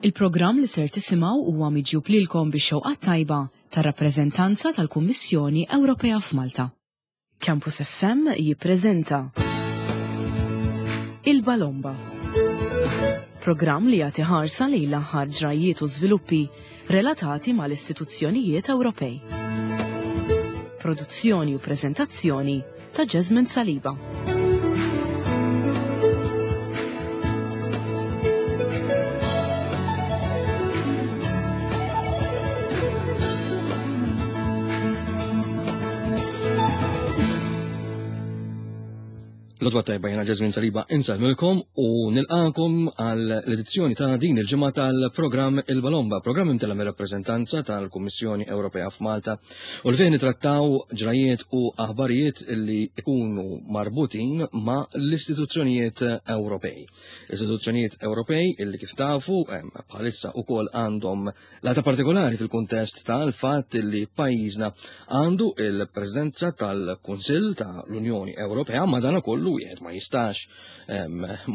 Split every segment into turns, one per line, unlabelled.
Il-programm li ser tisimgħu huwa miġjub lilkom bix-xewqa t-tajba tar-rappreżentanza tal-Kummissjoni Ewropea f'Malta. Campus FM jippreżenta Il-Balomba. Programm li jagħti ħarsa lejn l-aħħar ġrajjiet u żviluppi relatati mal-istituzzjonijiet Ewropej. Produzzjoni u preżentazzjoni ta' Jesmond Saliba.
L-odwa tajba jena Ġazmin Saliba insalmilkom u nilqakom għal l-edizzjoni ta' din il-ġimgħa tal-programm Il-Balomba, programm imtella mir-rappreżentanza tal-Kummissjoni Ewropea f'Malta U l fejn nitrattaw ġrajiet u aħbarijiet li ikunu marbutin ma' l-istituzzjonijiet Ewropej. Istituzzjonijiet Ewropej illi kif tafu bħalissa ukoll għandhom lata partikolari fil-kuntest tal-fatt li pajjiżna għandu il-Presidenza tal-Kunsill ta' l-Unjoni Ewropea ma dana kollu wieħed ma jistax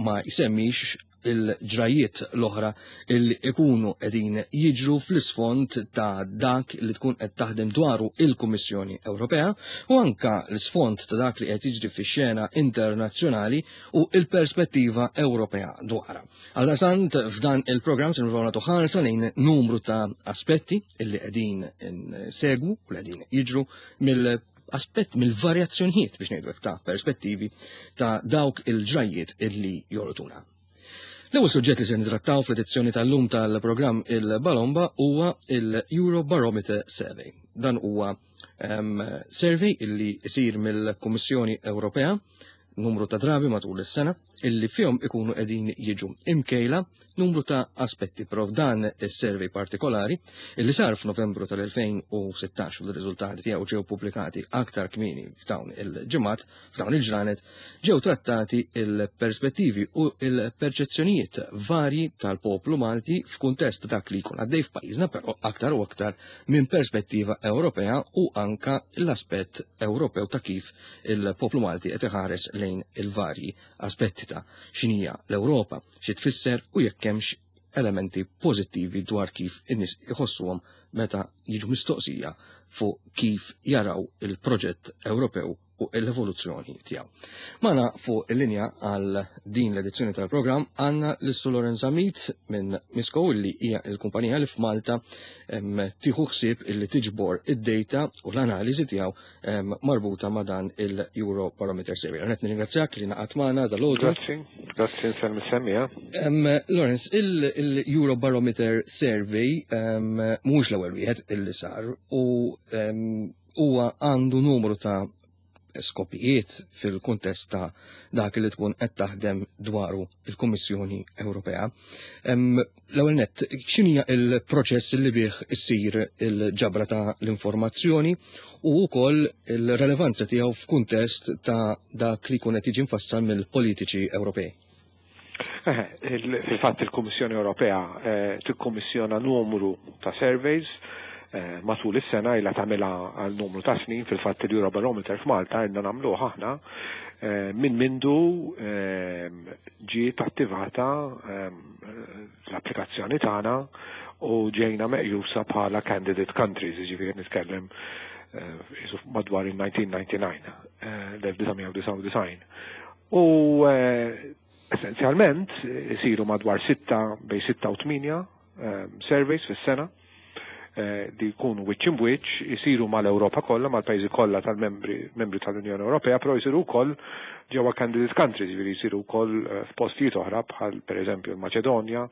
ma jsemmix il-ġrajiet l-oħra illi ikunu qegħdin jiġru fl-isfond ta' dak li tkun qed taħdem dwaru il-Kummissjoni Ewropea u anka l-isfond ta' dak li qed jiġri fix-xena internazzjonali u il-perspettiva Ewropea dwarha. Għaldaqstant f'dan il-programm se nipprovaw nagħtu ħarsa lejn numru ta' aspetti illi qegħdin segwu u li qegħdin jiġru mill aspett mill-varjazzjonijiet biex ngħidu hekk ta' perspettivi ta' dawk il-ġrajjiet illi jolqtuna. L-ewwel suġġett li se nitrattaw fl-edizzjoni tal-lum tal-programm il-Balomba huwa il-Eurobarometer Survey. Dan huwa um, survey illi isir mill-Kummissjoni Ewropea numru ta' drabi matul is-sena illi fihom ikunu qegħdin jiġu imkejla numru ta' aspetti però f'dan is-survey partikolari illi sar f'Novembru tal-2016 u l-riżultati tiegħu ġew pubblikati aktar kmieni f'dawn il-ġimgħat, f'dawn il-ġranet, ġew trattati il-perspettivi u il-perċezzjonijiet varji tal-poplu Malti f'kuntest dak li jkun għaddej f'pajjiżna però aktar u aktar minn perspettiva Ewropea u anka l-aspett Ewropew ta' kif il-poplu Malti qed iħares lejn il-varji aspetti ta' x'inhija l-Ewropa, xi tfisser u jekk hemmx elementi pożittivi dwar kif in-nies iħossuhom meta jiġu mistoqsija fuq kif jaraw il-proġett Ewropew u l-evoluzzjoni tiegħu. Magħna fuq il-linja għal din l-edizzjoni tal-programm għandna l-Issu Lorenza Mit minn Misco illi hija l-kumpanija li f'Malta tieħu ħsieb illi tiġbor id-data u l-analiżi tiegħu marbuta ma' dan il-Euro Barometer Survey. Għanet nirringrazzjak li naqat magħna dal-għodu.
Grazzi, grazzi nsemmi semmija.
Lawrence, il-Euro Barometer Survey mhuwiex l-ewwel wieħed illi sar u huwa għandu numru ta' skopijiet fil-kuntest ta' dak li tkun qed taħdem dwaru il-Kummissjoni Ewropea. L-ewwel nett, x'inhija il-proċess li bih issir il-ġabra ta' l-informazzjoni u wkoll il-relevanza tiegħu f'kuntest ta' dak li jkun qed jiġi mfassal mill-politiċi Ewropej?
Fil-fatt il-Kummissjoni Ewropea eh, tikkummissjona numru ta' surveys eh, matul is-sena ilha tagħmilha għal numru ta' snin fil-fatt il-Eurobarometer f'Malta ilna nagħmluh aħna eh, minn mindu ġiet attivata l-applikazzjoni tagħna u ġejna meqjusa bħala candidate countries, jiġifieri nitkellem madwar il-1999, l-1999. U essenzjalment isiru madwar sitta bejn sitta u tmienja surveys fis-sena li jkunu wiċċ imbwiċċ, isiru mal-Ewropa kollha, mal-pajjiżi kollha tal-membri membri tal-Unjoni Ewropea, però jsiru wkoll ġewwa candidate countries, jiġifieri jsiru wkoll f'postijiet oħra bħal pereżempju l-Maċedonja,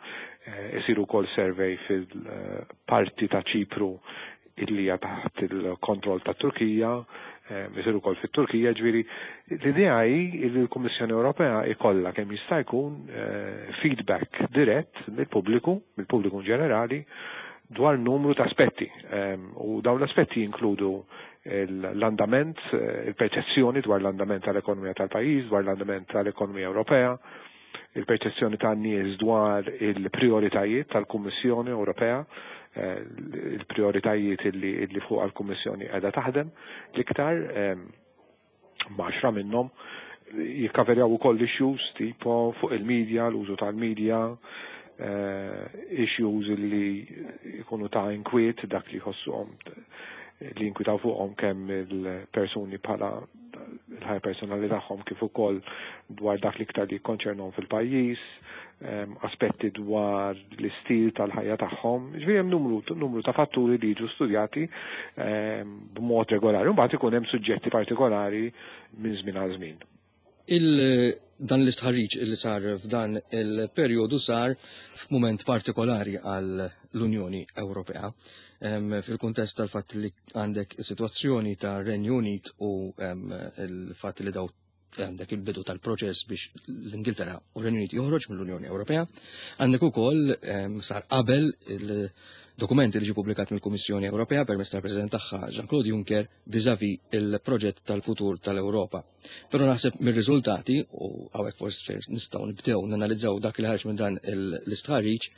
isiru wkoll survey fil-parti ta' Ċipru illi hija taħt il-kontroll tat-Turkija, isir ukoll fit-Turkija, ġifieri l-idea hi li l-Kummissjoni Ewropea ikollha kemm jista' jkun feedback dirett mill-pubbliku, mill-pubbliku in ġenerali, dwar numru ta' aspetti. U dawn l-aspetti jinkludu l-andament, il-perċezzjoni dwar l-andament tal-ekonomija tal-pajjiż, dwar l-andament tal-ekonomija Ewropea, il-perċezzjoni tan-nies dwar il-prijoritajiet tal-Kummissjoni Ewropea, il-prijoritajiet li fuqha l-Kummissjoni qiegħda taħdem l-iktar, m'għaxra minnhom, jikkaverjaw ukoll issues tipo fuq il-media, l-użu tal-media, Issues li jkunu ta' inkwiet, dak li jħossuhom li jinkwitaw fuqhom kemm il-persuni bħala il-ħajja personali tagħhom kif ukoll dwar dak li iktar li jikkonċernhom fil-pajjiż, aspetti dwar l-istil tal-ħajja tagħhom. Ġifieri hemm numru ta' fatturi li jiġu studjati b'mod regolari. Mbagħad ikun hemm suġġetti partikolari minn żmien għal żmien.
Dan l-istħarriġ li sar f'dan il-perjodu sar f'mument partikolari għal l-Unjoni Ewropea. Fil-kuntest tal-fatt li għandek is-sitwazzjoni ta' Renju Unit u il-fatt li daw għandek il-bidu tal-proċess biex l-Ingilterra u r-Renju Unit joħroġ mill-Unjoni Ewropea. Għandek ukoll sar qabel il-dokumenti li ġie pubblikat mill-Kummissjoni Ewropea permezz tal-President tagħha Jean-Claude Juncker vis-à-vis il-proġett tal-futur tal-Ewropa. Però naħseb mir-riżultati, u hawnhekk forsi nistgħu nibdew nanalizzaw dak li ħareġ minn dan l-istħarriġ,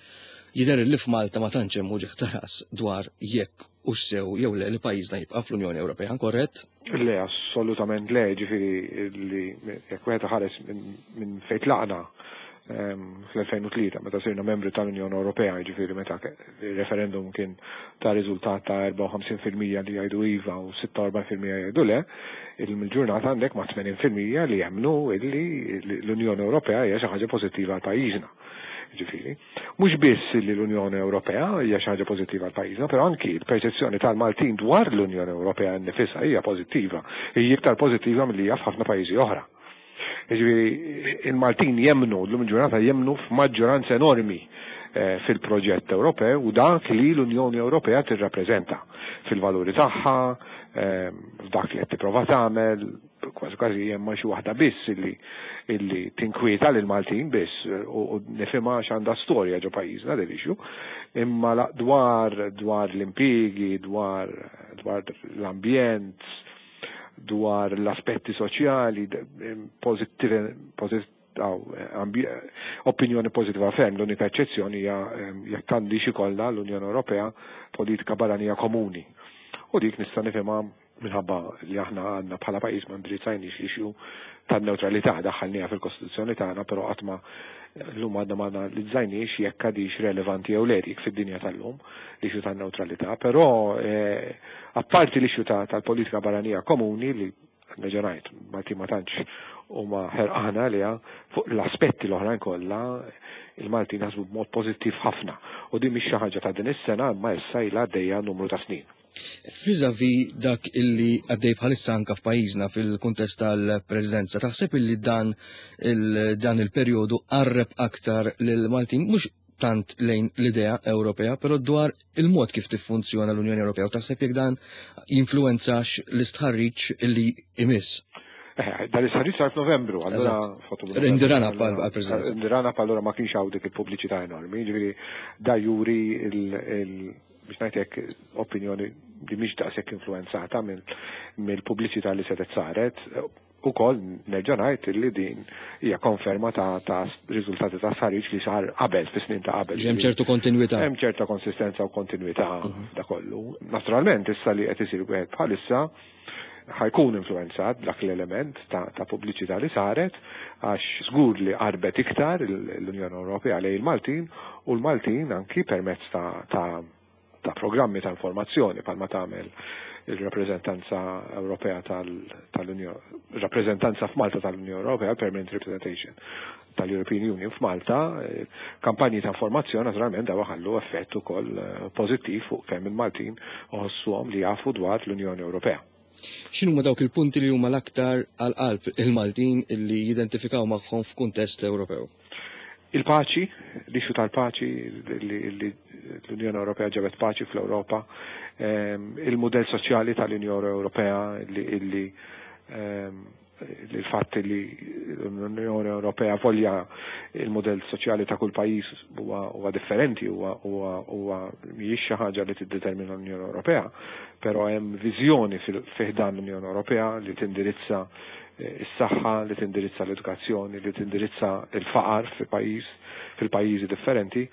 jidher li f'Malta ma tantx hemm uġigħ ta' ras dwar jekk hux sew jew le li pajjiżna jibqa' fl-Unjoni Ewropea, korrett?
Le, assolutament le, ġifieri li jekk wieħed iħares minn fejn tlaqna fl-2003 meta sirna membri tal-Unjoni Ewropea, ġifieri meta il-referendum kien ta' riżultat ta' 54% li jgħidu iva u 46% jgħidu le, il-ġurnata għandek ma' 80% li jemmnu illi l-Unjoni Ewropea hija xi ħaġa pożittiva għal pajjiżna. Ġifieri, mhux biss li l-Unjoni Ewropea hija xi ħaġa pożittiva għal pajjiżna, però anki l-perċezzjoni tal-Maltin dwar l-Unjoni Ewropea nnifisha hija pożittiva, hija iktar pożittiva milli hija f'ħafna pajjiżi oħra. Ġifieri, il-Maltin jemmnu, llum il-ġurnata jemmnu f'maġġoranza enormi fil-proġett Ewropew u dak li l-Unjoni Ewropea tirrappreżenta fil-valuri tagħha, f'dak li qed tipprova tagħmel, kważi kważi hemm xi waħda biss illi tinkwieta lil Maltin biss u nifhimha għax għandha storja ġo pajjiżna din issue, imma dwar l-impjiegi, dwar l-ambjent, dwar l-aspetti soċjali, opinjoni pożittiva ferm. L-unika eċċezzjoni hija jekk għandix ikollha l-Unjoni Ewropea politika barranija komuni. U dik nista' nifhimha minħabba li aħna għandna bħala pajjiż ma ndirizzajniex l-issue tan-newtralità, daħħalniha fil-Kostituzzjoni tagħna, però qatt ma llum għadna ma analizzajniex jekk għadix relevanti jew le dik fid-dinja tal-lum l-issue tan-newtralità, però apparti l-issue tal-politika barranija komuni li nerġa' ngħid Malti ma tantx huma ħerqana għaliha, fuq l-aspetti l-oħrajn kollha il-Maltin jaħsbu b'mod pożittiv ħafna u din mhix xi ħaġa ta' din is-sena imma issa ilha għaddejja numru ta' snin.
Vis-à-vis dak illi għaddej bħalissa anka f'pajjiżna fil-kuntest tal-Presidenza, taħseb illi dan il-perjodu qarreb aktar lil Maltin mhux tant lejn l-idea Ewropea, però dwar il-mod kif tiffunzjona l-Unjoni Ewropea, u taħseb jekk dan jinfluwenzax l-istħarriġ illi imiss?
Dan l-istħarriġ sar f'Novembru, allura
Indirana għal-Presidenza.
Indirana allura ma kienx hawn dik il-pubbliċità enormi, ġifieri da juri biex ngħidlek opinjoni li mhix daqshekk influenzata mill-pubbliċità li setgħet saret. Ukoll nerġa' ngħid li din hija konferma ta' riżultati ta' stħarriġ li sar qabel, fi snin ta' qabel.
Hemm ċertu kontinwità.
Hemm ċerta konsistenza u kontinwità da kollu. Naturalment issa li qed isir wieħed bħalissa ħajkun influenzat dak l-element ta' pubbliċità li saret, għax żgur li qarbet iktar l-Unjoni Ewropea lejn il-Maltin, u l-Maltin anki permezz ta' programmi ta' informazzjoni bħalma tagħmel il-rappreżentanza Ewropea tal-Unjoni, rappreżentanza f'Malta tal-Unjoni Ewropea, Permanent Representation tal-European Union f'Malta, kampanji ta' informazzjoni naturalment daw ħallu effett ukoll pożittiv fuq kemm il-Maltin uħossuhom li jafu dwar l-Unjoni Ewropea.
X'inhuma dawk il-punti li huma l-aktar għal qalb il-Maltin li jidentifikaw magħhom f'kuntest Ewropew?
Il-paċi, l-issue tal-paċi, li l-Unjoni Ewropea ġabet paċi fl-Ewropa, il-mudell soċjali tal-Unjoni Ewropea, li il-fatt li l-Unjoni Ewropea volja il-mudell soċjali ta' kull pajjiż huwa differenti, huwa mhijiex xi ħaġa li tiddetermina l-Unjoni Ewropea, però hemm viżjoni fi ħdan l-Unjoni Ewropea li tindirizza is-saħħa, li tindirizza l-edukazzjoni, li tindirizza il-faqar fil-pajjiżi differenti.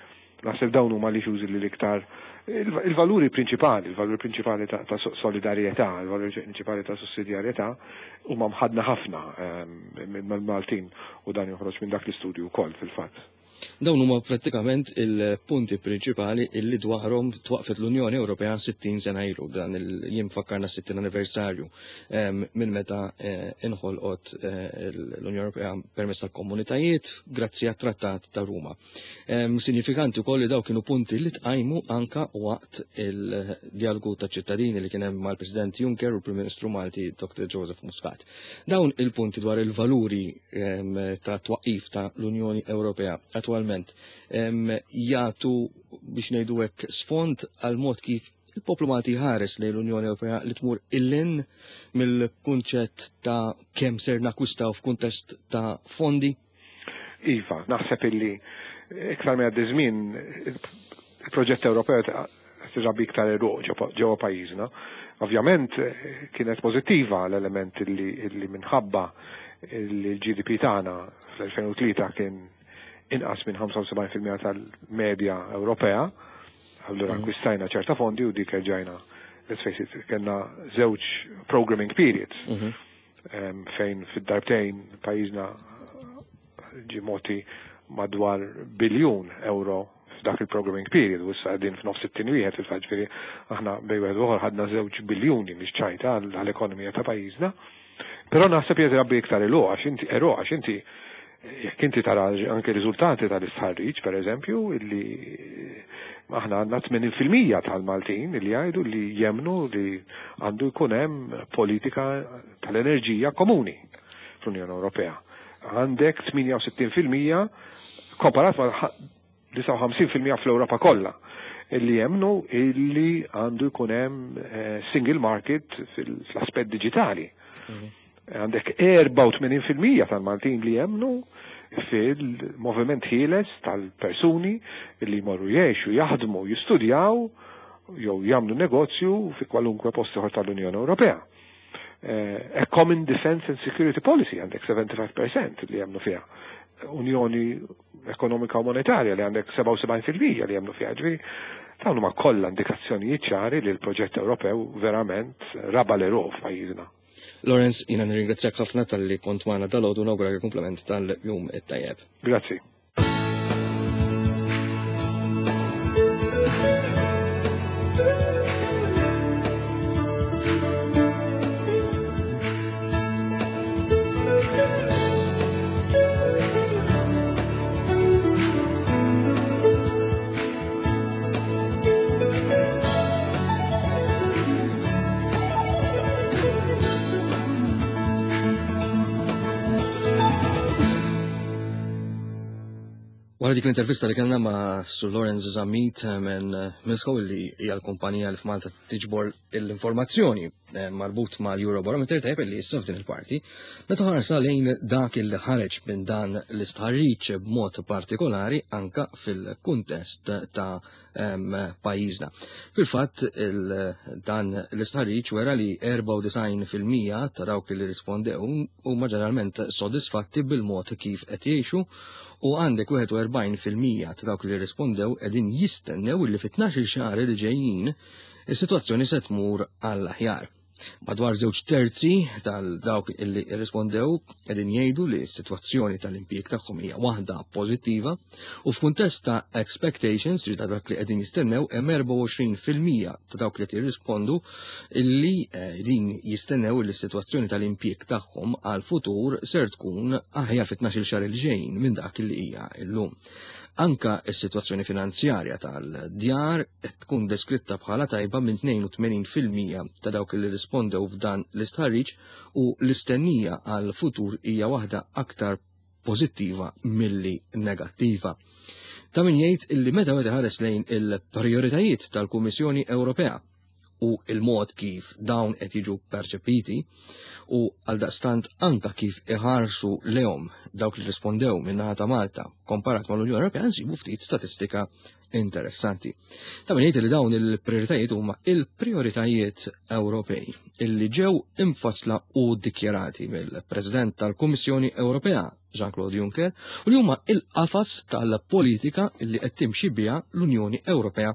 Naħseb dawn huma li issues li l-iktar il-valuri prinċipali, il-valuri prinċipali ta' solidarjetà, il-valuri prinċipali ta' sussidjarjetà huma mħadna ħafna mill-Maltin, u dan joħroġ minn dak l-istudju wkoll fil-fatt.
Dawn huma prattikament il-punti prinċipali illi dwarhom twaqfet l-Unjoni Ewropea 60 sena ilu, dan il-jiem fakkarna 60 anniversarju minn meta eh, inħolqot eh, l-Unjoni Ewropea permezz tal-komunitajiet grazzi għat-Trattat ta' Ruma. Sinifikanti wkoll li daw kienu punti li tqajmu anka waqt il-dialogu ta' ċittadini li kien hemm mal-President Juncker u l-Prim Ministru Malti Dr. Joseph Muscat. Dawn il-punti dwar il-valuri ta' twaqif ta' l-Unjoni Ewropea attwalment jagħtu biex ngħidu hekk sfond għal mod kif il-poplu Malti jħares lejn l-Unjoni Ewropea li tmur illin mill-kunċett ta' kemm ser nakwistaw f'kuntest ta' fondi?
Iva, naħseb illi iktar ma jgħaddi żmien il-proġett Ewropew qed irabbi iktar għeruq ġewwa pajjiżna. Ovvjament kienet pożittiva l-element illi minħabba li l-GDP tagħna fl-2003 kien inqas minn 75% tal-medja Ewropea, allura akkwistajna ċerta fondi u dik erġajna, let's face it, kellna żewġ programming periods. Fejn fid-darbtejn pajjiżna ġie mogħti madwar biljun euro f'dak il-programming period u issa qegħdin f'nofs it-tieni wieħed fil-fatt ġifieri aħna bejn wieħed u ieħor ħadna żewġ biljuni mhix ċajta għall-ekonomija ta' pajjiżna. Però naħseb qed irabbi iktar għeluq għax inti għeruq għax inti jekk inti tara anke riżultati tal-istħarriġ pereżempju illi aħna għandna 80% tal-Maltin li jgħidu li jemmnu li għandu jkun hemm politika tal-enerġija komuni fl-Unjoni Ewropea. Għandek 68% komparat ma' 59% fl-Ewropa kollha illi jemmnu illi għandu jkun hemm single market fl-aspett diġitali. Għandek 84% tal-Maltin li jemmnu fil-moviment ħieles tal-persuni li jmorru jgħixu, jaħdmu, jistudjaw jew jagħmlu negozju fi kwalunkwe post ieħor tal-Unjoni Ewropea. A common defense and security policy għandek 75% li jemmnu fiha. Unjoni ekonomika u monetarja li għandek 77% li jemmnu fiha. Ġifieri dawn huma kollha indikazzjonijiet ċari li l-proġett Ewropew verament raba l-għeruq f'pajjiżna.
Lawrence, jiena nirringrazzjak ħafna talli kont magħna dalgħodu u nawguralek il-kumplament tal-jum it-tajjeb.
Grazzi.
Wara dik l-intervista li kellna ma' Sur Lawrence Zammit minn Milsco li hija l-kumpanija li f'Malta tiġbor l-informazzjoni eh, marbut mal-Eurobarometer tajjeb li issa f'din il-parti, meta ħarsa lejn dak il ħareġ minn dan l-istħarriġ b'mod partikolari anka fil-kuntest ta' pajjiżna. Fil-fatt dan l-istħarriġ wera li 94% ta' dawk li rispondew huma ġeneralment sodisfatti bil-mod kif qed jgħixu u għandek 41% ta' dawk li rispondew qegħdin jistennew li fit-12 xahar li ġejjin is-sitwazzjoni se tmur għall-aħjar. Madwar żewġ terzi tal-dawk illi rrispondew qegħdin jgħidu li s-sitwazzjoni tal-impjieg tagħhom hija waħda pożittiva u f'kuntest ta' expectations ġi ta' dak li qegħdin jistennew hemm 24% ta' dawk li qed jirrispondu illi eh, din jistennew li s-sitwazzjoni tal-impjieg tagħhom għal futur ser tkun aħjar fit-12 xahar il-ġejjin minn dak li hija llum. Anka s-sitwazzjoni finanzjarja tal-djar qed tkun deskritta bħala tajba minn 82% ta' dawk li rispondew f'dan l-istħarriġ u l-istennija għal futur hija waħda aktar pożittiva milli negattiva. Ta' min jgħid illi meta wieħed iħares lejn il-prijoritajiet tal-Kummissjoni Ewropea u il-mod kif dawn qed jiġu perċepiti u għaldaqstant anka kif iħarsu lehom dawk li rispondew min-naħa ta' Malta komparat mal-Unjoni Ewropea nsibu ftit statistika interessanti. Ta' min jgħid li dawn il-prioritajiet huma il-prioritajiet Ewropej illi ġew imfassla u dikjarati mill-President tal-Kummissjoni Ewropea Jean-Claude Juncker u li huma il-qafas tal-politika li qed timxi biha l-Unjoni Ewropea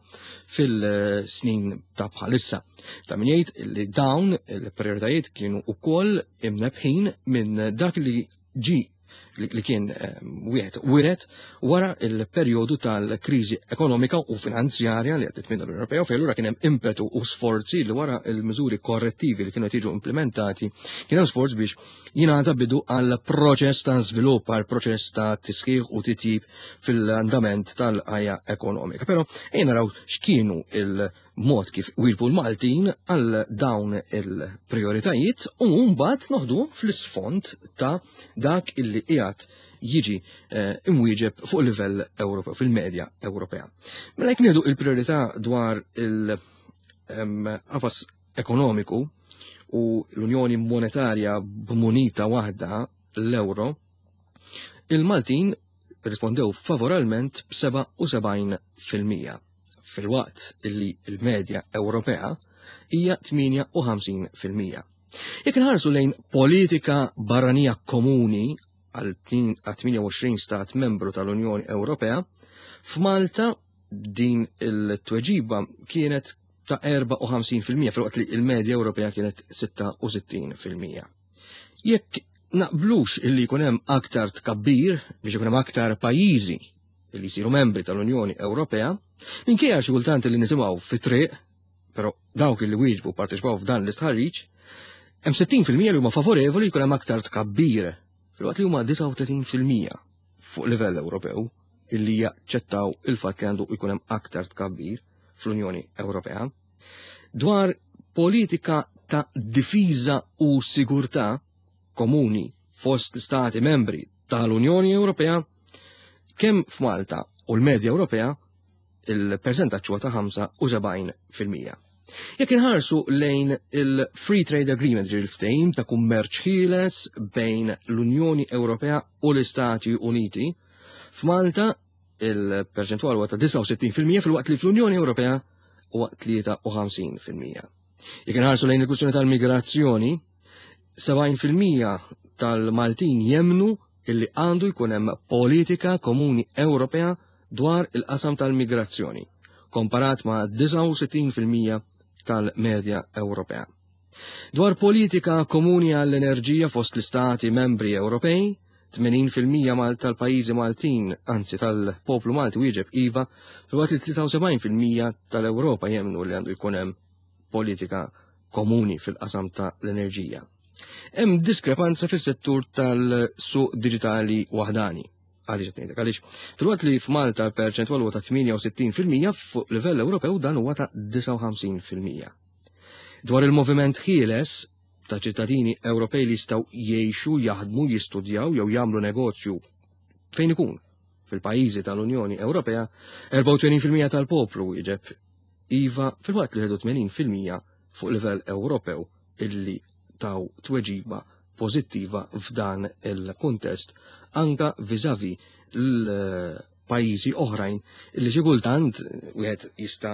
fil-snin ta' bħalissa. Ta' min jgħid li dawn il-prioritajiet kienu wkoll imnebħin minn dak li ġi li kien wieħed wiret wara il-perjodu tal-kriżi ekonomika u finanzjarja li għaddit minn l-Unjoni Ewropea, fejn allura kien hemm impetu u sforzi li wara il-miżuri korrettivi li kienu jiġu implementati, kien hemm sforz biex jingħata bidu għal proċess ta' żvilupp, għal proċess ta' tisħiħ u titjib fil-andament tal-ħajja ekonomika. Però ejja naraw x'kienu il- mod kif wieġbu l-Maltin għal dawn il-prioritajiet u mbagħad noħdu fl-isfond ta' dak illi qiegħed jiġi imwieġeb fuq livell Ewropew, fil-medja Ewropea. Mela jekk nieħdu il-priorità dwar il-qafas ekonomiku u l-Unjoni Monetarja b'munita waħda, l-euro, il-Maltin rispondew favoralment b'77%, filwaqt illi l-medja Ewropea hija 58%. Jekk inħarsu lejn politika barranija komuni għal 28 stat membru tal-Unjoni Ewropea, f'Malta din il-tweġiba kienet ta' 54%, filwaqt li il-medja Ewropea kienet 66%. Jekk naqblux illi jkun hemm aktar tkabbir biex ikun hemm aktar pajjiżi li jsiru membri tal-Unjoni Ewropea, minkejja xi kultant li nisimgħu fit-triq, però dawk li wieġbu parteċipaw f'dan l-istħarriġ, hemm 60% li huma favorevoli jkun hemm aktar tkabbir, filwaqt li huma 39% fuq livell Ewropew illi jaċċettaw il-fatt li għandu jkun hemm aktar tkabbir fl-Unjoni Ewropea. Dwar politika ta' difiża u sigurtà komuni fost l-Stati membri tal-Unjoni Ewropea, kemm f'Malta u l-medja Ewropea il-percentaġġ huwa ta' 75%. Jekk inħarsu lejn il-Free Trade Agreement, il-ftehim ta' kummerċ ħieles bejn l-Unjoni Ewropea u l-Istati Uniti, f'Malta il-perċentwal huwa ta' 69%, filwaqt li fl-Unjoni Ewropea huwa 53%. Jekk inħarsu lejn il-kwistjoni tal-migrazzjoni, 70% tal-Maltin jemnu illi għandu jkun hemm politika komuni Ewropea dwar il-qasam tal-migrazzjoni, komparat ma' 69% tal-medja Ewropea. Dwar politika komuni għall-enerġija fost l-istati membri Ewropej, 80% mal tal-pajjiżi Maltin, anzi tal-poplu Malti wieġeb iva, filwaqt li 73% tal-Ewropa jemnu li għandu jkun hemm politika komuni fil-qasam ta' l-enerġija. Hemm diskrepanza fis-settur tal-suq diġitali waħdani. Għaliex qed ngħidlek? Għaliex filwaqt li f'Malta l-perċentwal huwa ta' 68%, fuq livell Ewropew dan huwa ta' 59%. Dwar il-moviment ħieles ta' ċittadini Ewropej li jistgħu jgħixu, jaħdmu, jistudjaw jew jagħmlu negozju fejn ikun fil-pajjiżi tal-Unjoni Ewropea, 84% tal-poplu wieġeb iva, filwaqt li 81% fuq livell Ewropew illi taw tweġiba pożittiva f'dan il-kuntest, anka viżavi l-pajjiżi oħrajn illi xi kultant wieħed jista'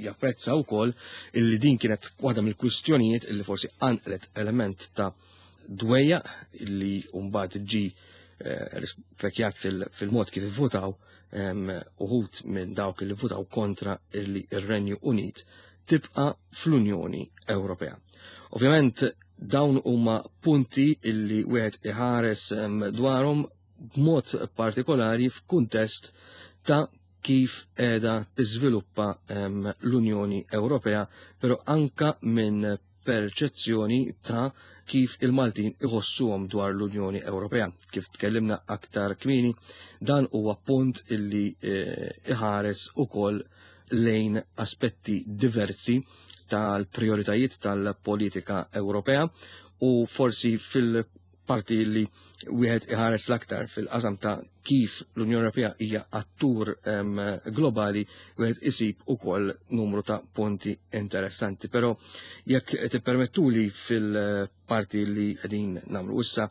japprezza wkoll illi din kienet waħda mill-kwistjonijiet illi forsi qanqlet element ta' dwejjaq illi mbagħad ġi rispekjat fil-mod kif ivvutaw uħud minn dawk li votaw kontra illi ir-Renju Unit tibqa' fl-Unjoni Ewropea. Ovvjament dawn huma punti illi wieħed iħares dwarhom b'mod partikolari f'kuntest ta' kif qiegħda tiżviluppa l-Unjoni Ewropea, però anka minn perċezzjoni ta' kif il-Maltin iħossuhom dwar l-Unjoni Ewropea. Kif tkellimna aktar kmieni, dan huwa punt illi iħares ukoll lejn aspetti diversi tal-prioritajiet tal-politika Ewropea u forsi fil-parti li wieħed iħares l-aktar fil-qasam ta' kif l-Unjoni Ewropea hija attur globali, wieħed isib ukoll numru ta' punti interessanti. Però jekk tippermettuli fil-parti li qegħdin nagħmlu issa,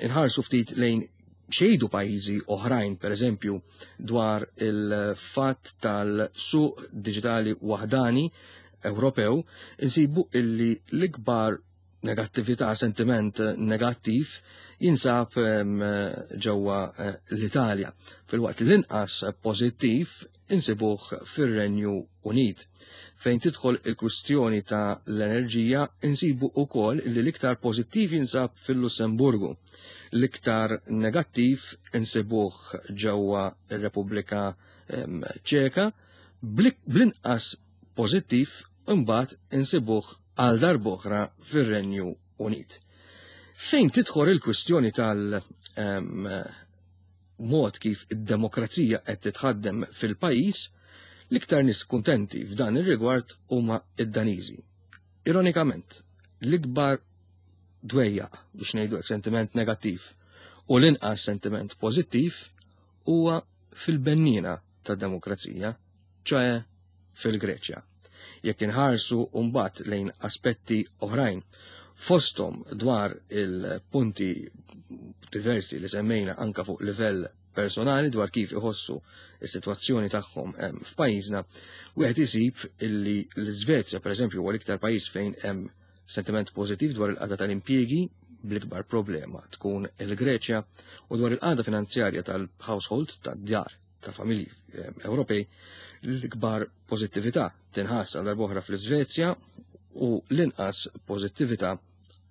inħarsu ftit lejn xejdu pajjiżi oħrajn, per eżempju, dwar il-fatt tal-suq diġitali waħdani Ewropew, insibu illi l-ikbar negattività, sentiment negattiv jinsab ġewwa l-Italja. Filwaqt li l-inqas pożittiv insibuh fir-Renju Unit. Fejn tidħol il-kwistjoni ta' l-enerġija insibu wkoll li l-iktar pożittiv jinsab fil-Lussemburgu. L-iktar negattiv insibuh ġewwa r-Repubblika Ċeka, bl-inqas pożittiv imbagħad insibuh għal darb'oħra fir-Renju Unit. Fejn tidħol il-kwistjoni tal- mod kif id-demokrazija qed titħaddem fil-pajjiż, l-iktar nies kuntenti f'dan ir-rigward huma id-Daniżi. Ironikament, l-ikbar dwejjaq biex ngħidu sentiment negattiv u l-inqas sentiment pożittiv huwa fil-bennina tad-demokrazija, ċoe fil-Greċja. Jekk inħarsu mbagħad lejn aspetti oħrajn, fosthom dwar il-punti diversi li semmejna anka fuq livell personali dwar kif iħossu is-sitwazzjoni tagħhom f'pajjiżna, wieħed isib illi l-Iżvezja pereżempju huwa l-iktar pajjiż fejn hemm sentiment pożittiv dwar il-qagħda tal-impjiegi, bl-ikbar problema tkun il-Greċja, u dwar il-qagħda finanzjarja tal-household, tad-djar ta' familji Ewropej, l-ikbar pożittività tinħass għal darb'oħra fl-Iżvezja u l-inqas pożittività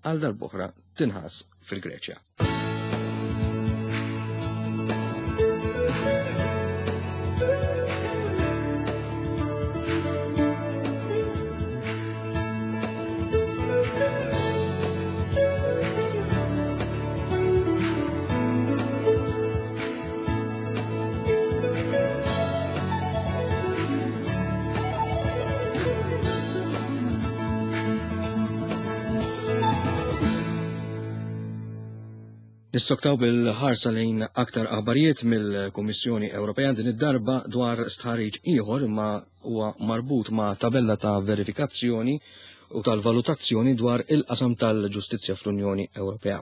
għal darb'oħra tinħass fil-Greċja. Nissoktaw bil-ħarsa lejn aktar aħbarijiet mill-Kummissjoni Ewropea din id-darba dwar stħarriġ ieħor imma huwa marbut ma' tabella ta' verifikazzjoni u tal-valutazzjoni dwar il-qasam tal-ġustizzja fl-Unjoni Ewropea.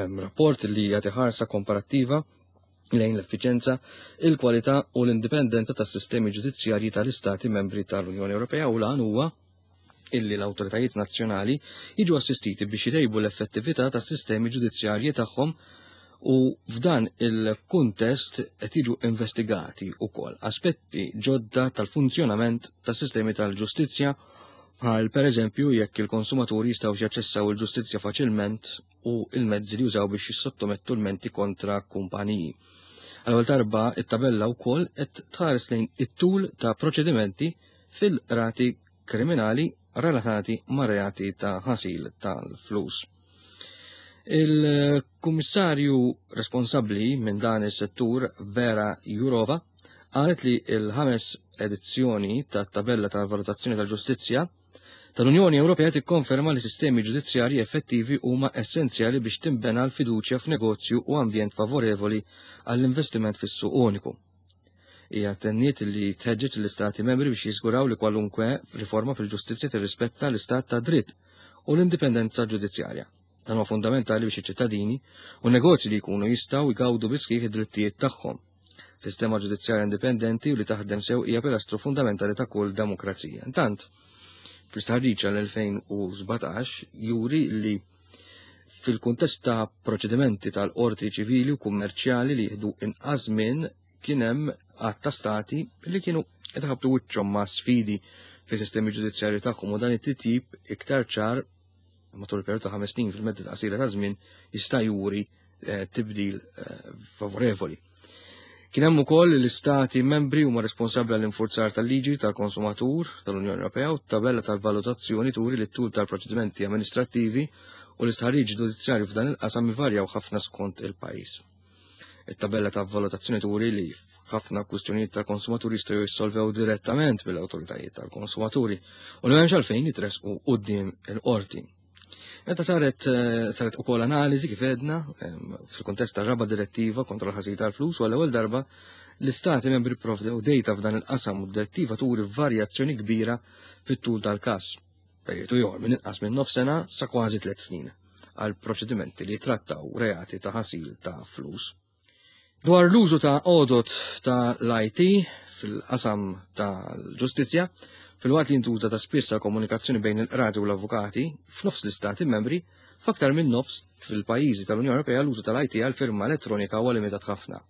Hemm rapport li jagħti ħarsa komparattiva lejn l-effiċenza, il-kwalità u l-indipendenza tas-sistemi ġudizzjarji tal-Istati membri tal-Unjoni Ewropea u l-għan huwa illi l-awtoritajiet nazzjonali jiġu assistiti biex jtejbu l-effettività tas-sistemi ġudizzjarji tagħhom u f'dan il-kuntest qed jiġu investigati wkoll aspetti ġodda tal-funzjonament tas-sistemi tal-ġustizzja bħal pereżempju jekk il-konsumaturi jistgħu jaċċessaw il-ġustizzja faċilment u il-mezzi li jużaw biex jissottomettu l-menti kontra kumpaniji. Għal darba it-tabella wkoll qed tħares lejn it-tul ta' proċedimenti fil-rati kriminali relatati ma' reati ta' ħasil tal-flus. Il-kummissarju responsabbli minn dan is-settur Vera Jurova qalet li il-ħames edizzjoni tat-tabella tal-valutazzjoni tal-ġustizzja tal-Unjoni Ewropea tikkonferma li sistemi ġudizzjarji effettivi huma essenzjali biex tinbena l-fiduċja f'negozju u ambjent favorevoli għall-investiment fis-suq uniku. Hija tenniet li tħeġġeġ l-Istati membri biex jiżguraw li kwalunkwe riforma fil-ġustizzja tirrispetta l-istat ta' dritt u l-indipendenza ġudizzjarja. Dan huwa fundamentali biex iċ-ċittadini u negozji li jkunu jistgħu jgawdu bisħieħ id-drittijiet tagħhom. Sistema ġudizzjarja indipendenti u li taħdem sew hija pilastru fundamentali ta' kull demokrazija. Intant, fl-istħarriġ għal-2017 juri li fil-kuntest ta' proċedimenti tal-qorti ċivili u kummerċjali li jieħdu inqas minn kien hemm għadd ta' stati li kienu qed iħabbtu wiċċhom ma' sfidi fis-sistemi ġudizzjarji tagħhom u dan it-titjib iktar ċar matul il-perjodu ta' 5 snin fil-medda ta' qasira ta' żmien jista' juri tibdil favorevoli. Kien hemm ukoll l-istati membri huma responsabbli għall-infurzar tal-liġi tal-konsumatur tal-Unjoni Ewropea u t-tabella tal-valutazzjoni turi li t-tul tal-proċedimenti amministrattivi u l-istħarriġ ġudizzjarju f'dan il-qasam ivarjaw ħafna skont il-pajjiż. It-tabella ta' valutazzjoni turi li ħafna kwistjonijiet tal-konsumaturi jistgħu jissolvew direttament mill-awtoritajiet tal-konsumaturi u li m'hemmx għalfejn jitresqu quddiem il-qorti. Meta saret ukoll analiżi kif għedna fil-kuntest tar-raba' direttiva kontra l-ħasil tal-flus u għall-ewwel darba l-istati membri pprovdew data f'dan il-qasam u d-direttiva turi varjazzjoni kbira fit-tul tal-każ. Perjodu ieħor minn inqas minn nofs sena sa kważi 3 snin għal proċedimenti li jitrattaw reati ta' ħasil ta' flus. Dwar l-użu ta' għodot ta' l-IT fil-qasam tal-ġustizzja, filwaqt li jintuża ta' spiss għal komunikazzjoni bejn il-qrati u l-avukati, f'nofs l-istati membri, f'aktar minn nofs fil-pajjiżi tal-Unjoni Ewropea l-użu tal-IT għal firma elettronika huwa limitat ħafna.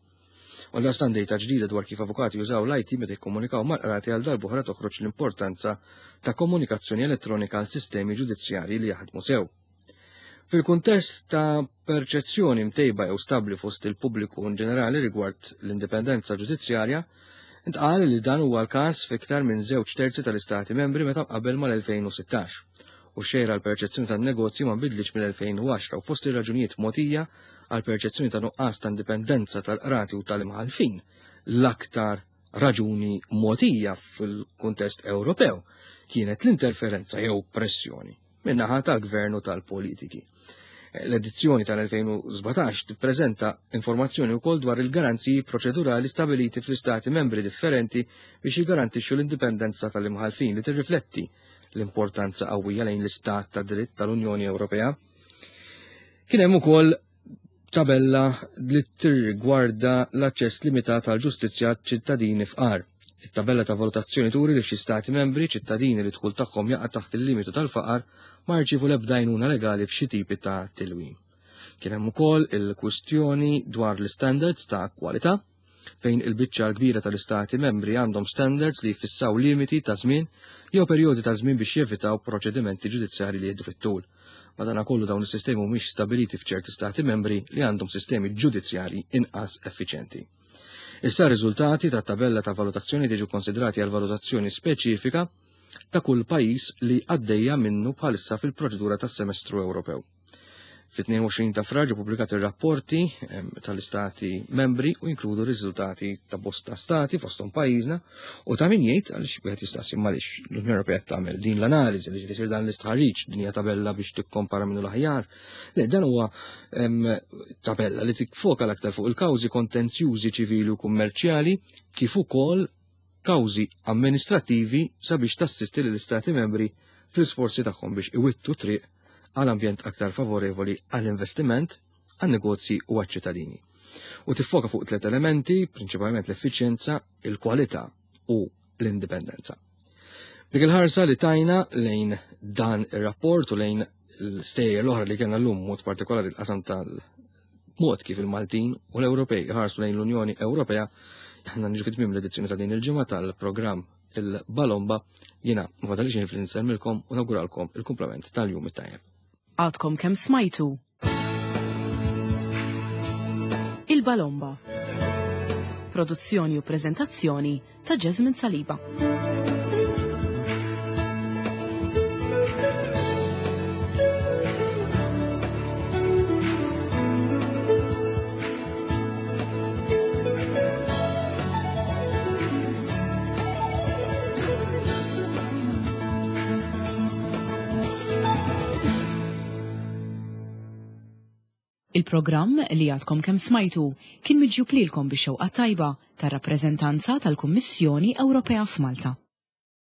Għaldaqstant dejta ġdida dwar kif avukati jużaw l-IT meta jikkomunikaw mal-qrati għal darb'oħra toħroġ l-importanza ta' komunikazzjoni elettronika għal sistemi ġudizzjarji li jaħdmu sew. Fil-kuntest ta' perċezzjoni mtejba jew stabbli fost il-pubbliku in ġenerali rigward l-indipendenza ġudizzjarja, intqal li dan huwa l-każ f'iktar minn żewġ terzi tal-istati membri meta mqabbel mal-2016. U x-xejra għall-perċezzjoni tan-negozji ma nbidlitx mill-2010 u fost ir-raġunijiet mogħtija għall-perċezzjoni ta' nuqqas ta' indipendenza tal-qrati u tal-imħallfin, l-aktar raġuni mogħtija fil-kuntest Ewropew kienet l-interferenza jew pressjoni min-naħa tal-gvern u tal-politiki. L-edizzjoni tal-2017 tippreżenta informazzjoni wkoll dwar il-garanziji proċedurali stabiliti fl-istati membri differenti biex jiggarantixxu l-indipendenza tal-imħallfin li tirrifletti l-importanza qawwija lejn l-istat ta' dritt tal-Unjoni Ewropea. Kien hemm ukoll tabella li tirrigwarda l-aċċess limitat għal ġustizzja ċittadini fqar. It-tabella ta' valutazzjoni turi li f'xi stati membri ċittadini li dħul tagħhom jaqa' taħt il-limitu tal-faqar ma rċievu l-ebda għajnuna legali f'xi tipi ta' tilwim. Kien hemm ukoll il-kwistjoni dwar l-istandards ta' kwalità fejn il-biċċa l-kbira tal-istati membri għandhom standards li jfissaw limiti ta' żmien jew perjodi ta' żmien biex jevitaw proċedimenti ġudizzjarji li jieħdu fit-tul. Madankollu dawn is-sistemi mhumiex stabiliti f'ċerti stati membri li għandhom sistemi ġudizzjarji inqas effiċjenti. Issa r-riżultati tat-tabella ta' valutazzjoni jiġu konsidrati għal valutazzjoni speċifika ta' kull pajjiż li għaddejja minnu bħalissa fil-proċedura tas-semestru Ewropew. Fit-22 ta' Frar ġew pubblikati r-rapporti tal-istati membri u jinkludu riżultati ta' bosta stati fosthom pajjiżna u ta' min jgħid għaliex wieħed jistaqsi għaliex l-Unjoni Ewropea tagħmel din l-analiżi li tisir dan l-istħarriġ din hija tabella biex tikkompara minnu l-aħjar. Le dan huwa tabella li tikfoka l-aktar fuq il-kawżi kontenzjużi ċivili u kummerċjali kif ukoll kawżi amministrattivi sabiex tassisti lill-Istati membri fl-isforzi tagħhom biex iwittu triq għal ambjent aktar favorevoli għall-investiment, għan-negozji u għaċ-ċittadini. U tiffoka fuq tliet elementi, prinċipalment l-effiċjenza, il-kwalità u l-indipendenza. Dik il-ħarsa li tajna lejn dan ir-rapport u lejn l-stejjer l-oħra li kellna llum mod partikolari l-qasam tal mod kif il-Maltin u l-Ewropej ħarsu lejn l-Unjoni Ewropea, aħna niġu fit-tmiem l-edizzjoni ta' din il-ġimgħa tal-programm il-Balomba, jiena ma fadalix fl-insemmilkom u nawguralkom il-kumplament tal-jum it-tajjeb.
Għadkom kemm smajtu Il-Balomba. Produzzjoni u preżentazzjoni ta' Jasmine Saliba. Il-programm li għadkom kemm smajtu kien miġjub lilkom bix-xewqa tajba tar-rappreżentanza tal-Kummissjoni Ewropea f'Malta.